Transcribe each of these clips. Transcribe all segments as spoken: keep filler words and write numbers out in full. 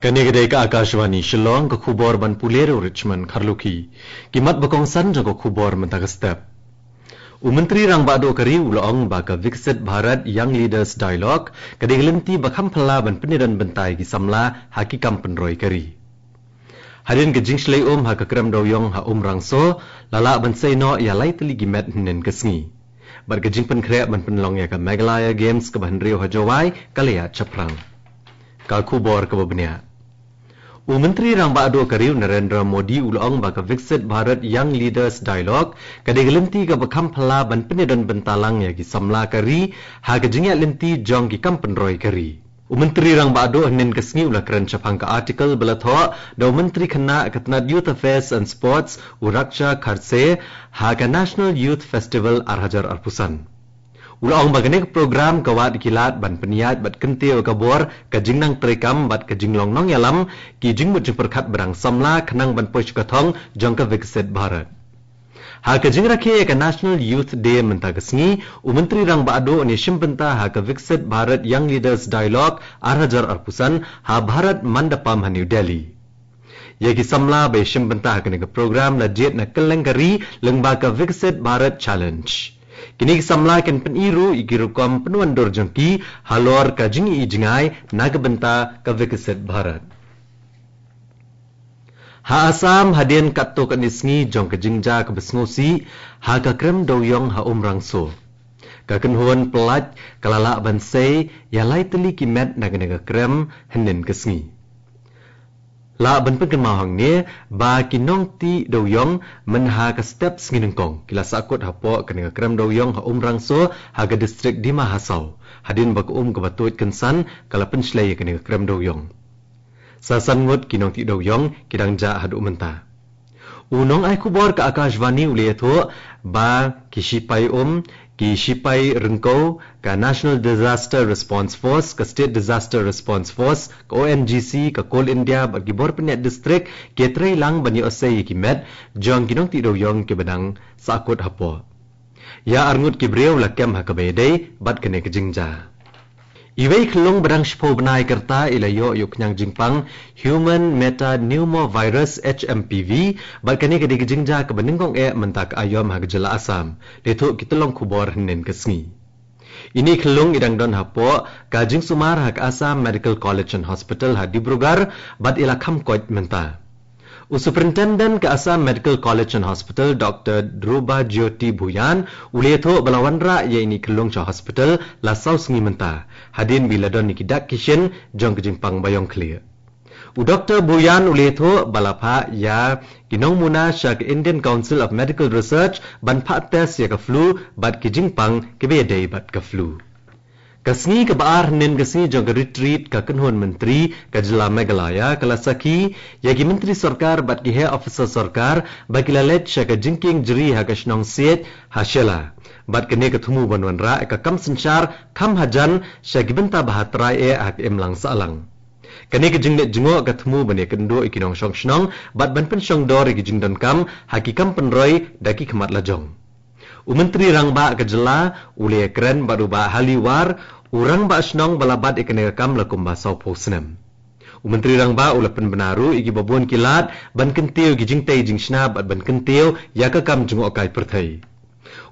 Kane ka dei ka Akashvani Shillong, ka khubor ban pule da u Richmond Kharlukhi. Ki mat ba kongsan jong ka khubor mynta ka step. U Myntri Rangbah Duh ka ri u la ong ba ka Viksit Bharat Young Leaders Dialogue ka dei ka lynti ba kham phylla ban pynïadon bynta ïa ki samla ha ki kam pynroi ka ri. Hadien ka jingshlei um ha ka krem dewiong ha Umrangso, la lah ban sei noh ïa lai tylli ki met hynnin ka sngi. Bad ka jingpynkhreh ban pynlong ïa ka Meghalaya Games kaba hynriew ha Jowai ka la ïaid shaphrang. Ka khubor kaba bniah. U Myntri Rangbah Duh ka ri u Narendra Modi u la ong ba ka Viksit Bharat Young Leaders Dialogue ka dei ka lynti kaba kham phylla ban pynïadon bynta lang ïa ki samla ka ri ha ka jingïaid lynti jong ki kam pynroi ka ri. U Myntri Rangbah Duh hynnin ka sngi u la kren shaphang ka article ba la thoh da u Myntri Khynnah ka tnad Youth Affairs and Sports u Raksha Khadse ha ka National Youth Festival ar hajar arphew san. U la ong ba kane ka program ka wad ki lad ban pynïaid bad kyntiew ka bor ka jingnang treikam bad ka jinglong nongïalam, ki jingmut jingpyrkhat ba dang samla khnang ban poi sha ka thong jong ka Viksit Bharat. Ha ka jingrakhe ïa ka National Youth Day mynta ka sngi, u Myntri Rangbah Duh un ïashim bynta ha ka Viksit Bharat Young Leaders Dialogue ar hajar arphew san ha Bharat Mandapam ha New Delhi. Ïa ki samla ba ïashim bynta ha kane ka program la jied na kylleng ka ri lyngba ka Viksit Bharat Challenge. Kine ki samla kin pyni ruh ïa ki rukom pynwandur jong ki halor ka jingïohi jngai na ka bynta ka Viksit Bharat. Ha Assam, hadien katto katne sngi jong ka jingjia kaba sngewsih ha ka krem dewiong ha Umrangso, ka kynhun pyllait ka la lah ban sei ïa lai tylli ki met na kane ka krem hynnin ka sngi. Lah ban pynkynmaw hangne ba ki nongtih dewiong mynha ka step sngi nyngkong ki la sahkut hapoh kane ka krem dewiong ha Umrangso ha ka distrik Dima Hasao, hadien ba ka um kaba tuid kynsan ka la pynshlei ïa kane ka krem dewiong. Sa san ngut ki nongtih dewiong ki dang jah haduh mynta. U nongai khubor ka Akashvani u la ïathuh ba ki shipai um, ki shipai ryngkew, ka National Disaster Response Force, ka State Disaster Response Force, ka O N G C, ka Coal India bad ki bor pynïaid distrik ki trei lang ban ïoh sei ïa ki met jong ki nongtih dewiong kiba dang sahkut hapoh. Ïa arngut ki briew la kem ha kaba ïadei bad kane ka jingjia. Iwei i khyllung ba dang shiphew bnai ka rta i la ïoh ïa u khñiang jingpang Human Metapneumovirus, H M P V, bad kane ka dei ka jingjia kaba nyngkong eh mynta ka aïom ha ka jylla Assam, la ïathuh ki tyllong khubor hynnin ka sngi. Ine i khyllung i dang don hapoh ka jingsumar ha ka Assam Medical College and Hospital ha Dibrugarh bad i la kham koit mynta. U Superintendent ka Assam Medical College and Hospital, Doctor Dhruba Jyoti Bhuyan, u la ïathuh ba la wanrah ïa ine i khyllung sha hospital la saw sngi mynta, hadien ba i la don ïa ki dak ki shin jong ka jingpang baïong khlieh. U Doctor Bhuyan u la ïathuh ba la phah ïa ki nongmuna sha ka Indian Council of Medical Research ban phah test ïa ka flu bad ki jingpang kiba ïadei bad ka flu. Ka sngi kaba ar hynnin ka sngi jong ka retreat ka kynhun myntri ka jylla Meghalaya ka la sakhi ïa ki myntri sorkar bad ki heh officer sorkar ba ki la leit sha ka jingkieng jri ha ka shnong Siej ha Shella. Bad kane ka thmu ban wanrah ïa ka kam synshar kham hajan sha ki bynta ba ha trai eh ha ka imlang sahlang. Kane ka jingleit jngoh ka thmu ban ïakynduh ïa ki nongshong shnong bad ban pynshong dor ïa ki jingdonkam ha ki kam pynroi da ki khmat lajong. U Myntri Rangbah ka jylla u la ïakren bad u Bah Haliwar, u rangbah shnong ba la bat ïa kane ka kam la kumba sawphew snem. U Myntri Rangbah u la pynbna ruh ïa kiba bun ki lad ban kyntiew ïa ki jingtei jingshna bad ban kyntiew ïa ka kam jngohkai pyrthei.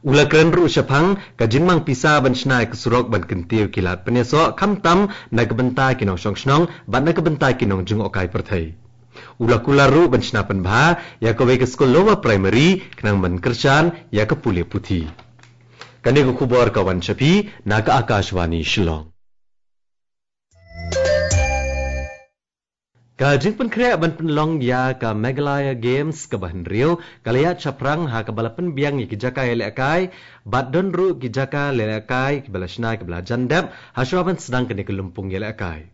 U la kren ruh shaphang ka jingmang pisa ban shna ïa ka surok ban kyntiew ïa ki lad pynïasoh khamtam na ka bynta ki nongshong shnong bad na ka bynta ki nongjngohkai pyrthei. U la kular ruh ban shna pynbha ïa kawei ka skul lower primary khnang ban kyrshan ïa ka pule puthi. Kane ka khubor ka wan sha phi na ka Akashvani Shillong. Ka jingpynkhreh ban pynlong ïa ka Meghalaya Games kaba hynriew ka la ïaid shaphrang ha kaba la pynbiang ïa ki jaka ïalehkai bad don ruh ki jaka ïalehkai kiba la shna kiba la jan dep ha shuwa ban sdang kane ka lympung ïalehkai.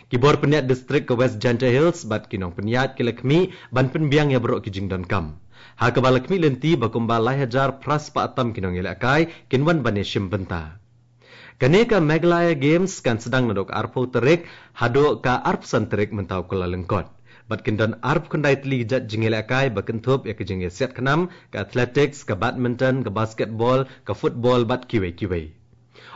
Ki bor pynïaid distrik ka West Jaintia Hills bad ki nongpynïaid ki la khmih ban pynbiang ïa baroh ki jingdonkam, ha kaba la khmih lynti ba kumba lai hajar phra spah tam ki nongïalehkai kin wan ban ïashim bynta. Kane ka Meghalaya Games kan sdang naduh ka arphew tarik haduh ka arphew san tarik mynta u Kyllalyngkot. Bad kin don arphew khyndai tylli ki jait jingïalehkai ba kynthup ïa ka jingïasiat khnam, ka athletics, ka badminton, ka basketball, ka football bad kiwei kiwei.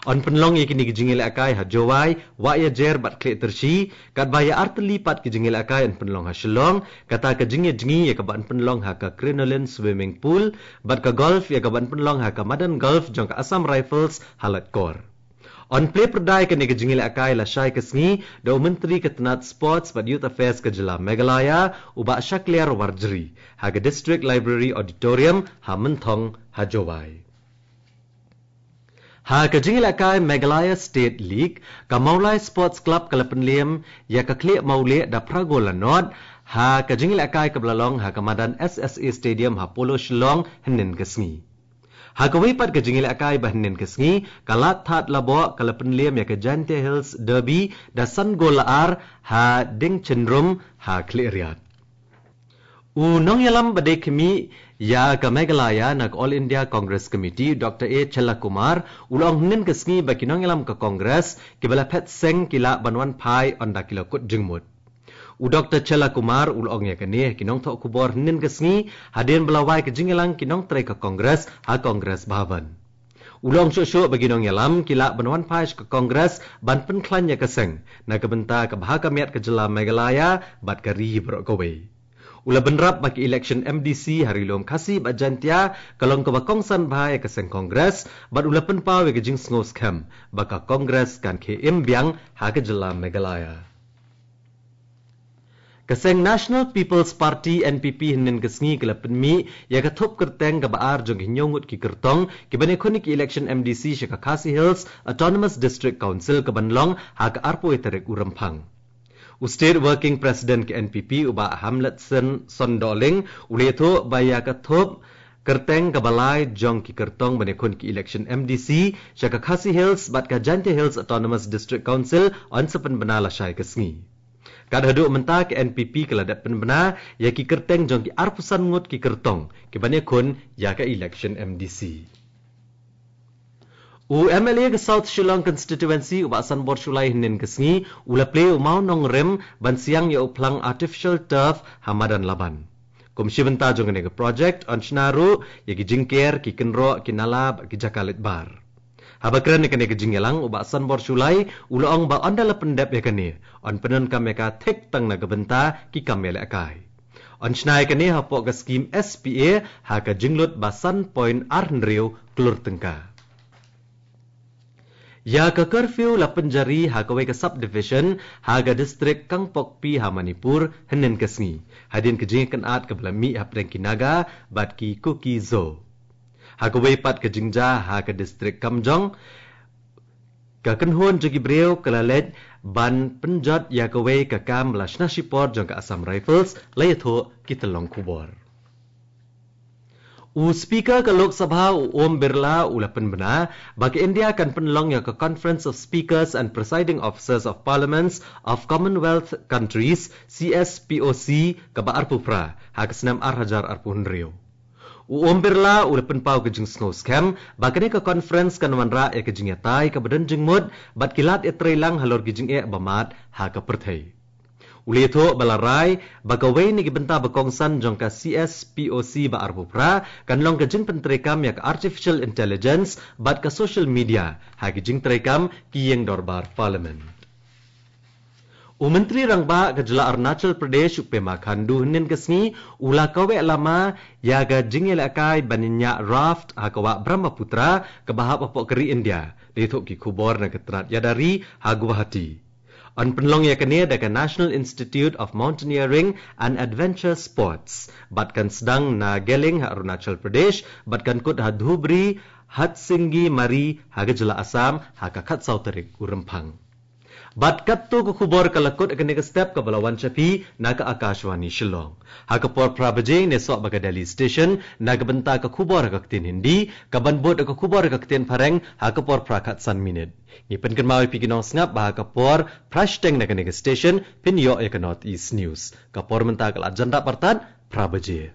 Yn pynlong ïa kine ki jingïalehkai ha Jowai, Wahiajer bad Khliehtyrshi, katba ïa artylli pat ki jingïalehkai yn pynlong ha Shillong, kata ka jingïajngi ïa kaba yn pynlong ha ka Crinoline Swimming Pool, bad ka golf ïa kaba yn pynlong ha ka madan golf jong ka Assam Rifles ha Laitkor. Yn plie pyrda ïa kane ka jingïalehkai lashai ka sngi da u Myntri ka tnat Sports bad Youth Affairs ka jylla Meghalaya, u Bah Shakliar Warjri, ha ka District Library Auditorium ha Mynthong ha Jowai. Ha ka jingïalehkai Meghalaya State League, ka Mawlai Sports Club ka la pynliem ïa ka Khlieh Mawlieh da phra gol la nod, ha ka jingïalehkai kaba la long ha ka madan S S A Stadium ha Polo Shillong hynnin ka sngi. Ha kawei pat ka jingïalehkai ba hynnin ka sngi, ka Lathadlaboh ka la pynliem ïa ka Jaintia Hills Derby da san gol la ar ha Dingchynrum ha Khliehriat. U nongïalam ba dei khmih ïa ka Meghalaya na ka All India Congress Committee, Doctor A Chellakumar, u la ong hynnin ka sngi ba ki nongïalam ka Congress kiba la phet seng ki lah ban wan phai ynda ki la kut jingmut. U Doctor Chellakumar u la ong ïa kane ha ki nongthoh khubor hynnin ka sngi, hadien ba la wai ka jingïalang ki nongtrei ka Congress ha Congress Bhavan. U la ong shuh shuh ba ki nongïalam ki lah ban wan phai sha ka Congress ban pynkhlaiñ ïa ka seng, na ka bynta kaba ha ka miat ka jylla Meghalaya bad ka ri baroh kawei. U la bynrap ba ka election M D C ha Ri Lum Khasi bad Jaintia ka long kaba kongsan bha ïa ka seng Congress, bad u la pynpaw ïa ka jingsngewskhem ba ka Congress kan khie im biang ha ka jylla Meghalaya. Ka seng National People's Party, N P P, hynnin ka sngi ka la pynmih ïa ka thup kyrteng kaba ar jong ki hynñiew ngut ki kyrtong kiban ïakhun ïa ka election M D C sha ka Khasi Hills Autonomous District Council kaban long ha ka arphew tarik u Rymphang. U State Working President ka N P P, u Bah Hamletson Sondohling, u la ïathuh ba ïa ka thup kyrteng kaba lai jong ki kyrtong ban ïakhun ïa ka election M D C sha ka Khasi Hills bad ka Jaintia Hills Autonomous District Council yn sa pynbna lashai ka sngi. Kat haduh mynta ka N P P ka la dep pynbna ïa ki kyrteng jong ki arphew san ngut ki kyrtong kiban ïakhun ïa ka election M D C. U M L A ka South Shillong Constituency, u Bah Sanbor Shullai, hynnin ka sngi u la plie u mawnongrim ban siang ïa u phlang artificial turf ha Madan Laban. Kum shi bynta jong kane ka project yn shna ruh ïa ki jingker, ki kynroh, ki nala bad ki jaka leit bar. Haba kren ïa kane ka jingïalang, u Bah Sanbor Shullai u la ong ba ynda la pyndep ïa kane, yn pyndonkam ïa ka thik tang na ka bynta ki kam ïalehkai. Yn shna ïa kane hapoh ka skim S P A ha ka jinglut ba san point ar hynriew klur tyngka. Ïa ka curfew la pynjari ha kawei ka subdivision ha ka district Kangpokpi ha Manipur hynnin ka sngi, hadien ka jingïakynad kaba la mih hapdeng ki Naga bad ki Kuki-Zo. Ha kawei pat ka jingjia ha ka district Kamjong, ka kynhun jong ki briew ka la leit ban pynjot ïa kawei ka kam ba la shna shipor jong ka Assam Rifles, la ïathuh ki tyllong khubor. U Speaker ka Lok Sabha, u Om Birla, u la pynbna ba ka India kan pynlong ïa ka Conference of Speakers and Presiding Officers of Parliaments of Commonwealth Countries, C S P O C, kaba arphew phra ha ka snem ar hajar arphew hynriew. U Om Birla u la pynpaw ka jingsngewskhem ba kane ka conference kan wanrah ïa ka jingïatai kaba don jingmut bad ki lad ïatreilang halor ki jingeh ba mad ha ka pyrthei. U la ïathuh ba la rai ba kawei na ki bynta ba kongsan jong ka C S P O C ba arphew phra kan long ka jingpyntreikam ïa ka artificial intelligence bad ka social media ha ki jingtreikam ki ïing dorbar Parliament. U Myntri Rangbah ka jylla Arunachal Pradesh, u Pema Khandu, hynnin ka sngi u la kaweh lama ïa ka jingïalehkai ban ñiah raft ha ka wah Brahmaputra kaba hap hapoh ka ri India, la ïathuh ki khubor na ka tnat ïada ri ha Guwahati. Yn pynlong ïa kane da ka National Institute of Mountaineering and Adventure Sports bad kan sdang na Geleng ha Arunachal Pradesh bad kan kut ha Dhubri, Hatsingimari ha ka jylla Assam ha ka khatsaw tarik u Rymphang. Bad katto ka khubor ka la kut ha kane ka step kaba la wan sha phi na ka Akashvani Shillong. Ha ka por phra baje ngin ïasoh bad ka Delhi Station na ka bynta ka khubor ha ka ktien Hindi, kaban bud ka khubor ha ka ktien Phareng ha ka por phra khatsan minit. Ngi pynkynmaw ïa phi ki nongsngap ba ha ka por phra shiteng na kane ka station phin ïoh ïa ka North East News. Ka por mynta ka la jan dap artat phra baje.